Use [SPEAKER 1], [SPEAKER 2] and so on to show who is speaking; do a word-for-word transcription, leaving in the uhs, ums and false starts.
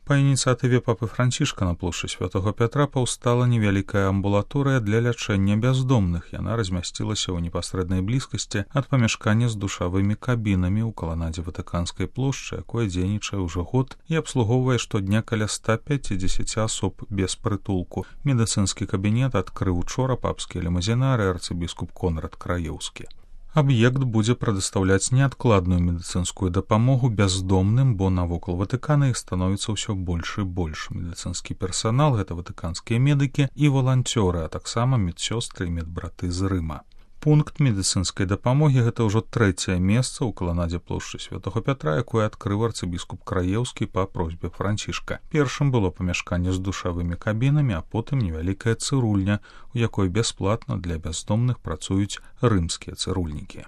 [SPEAKER 1] Па ініцыятыве папы Францішка на плошчы Святого Пятра паўстала невялікая амбулаторыя для лячэння бяздомных. Яна размясцілася ў непасрэднай блізкасці ад памяшкання з душавымі кабінамі ў каланадзе Ватыканскай плошчы, якое дзейнічае ўжо год і абслугоўвае штодня каля ста пяцідзесяці асоб без прытулку. Медыцынскі кабінет адкрыў учора папскі лімузінар і арцыбіскуп Конрад Краеўскі. Аб'ект будзе прадастаўляць неадкладную медыцынскую дапамогу бяздомным, бо навокал Ватыкана іх становіцца ўсё больш і больш. Медыцынскі персанал — гэта ватыканскія медыкі і валанцёры, а таксама медсёстры і медбраты з Рыма. Пункт медыцынскай дапамогі — гэта ўжо трэцяе месца ў каланадзе плошчы Святого Пятра, якое адкрыў арцыбіскуп Краеўскі па просьбе Францішка. Першым было памяшканне з душавымі кабінамі, а потым невялікая цырульня, у якой бясплатна для бяздомных працуюць рымскія цырульнікі.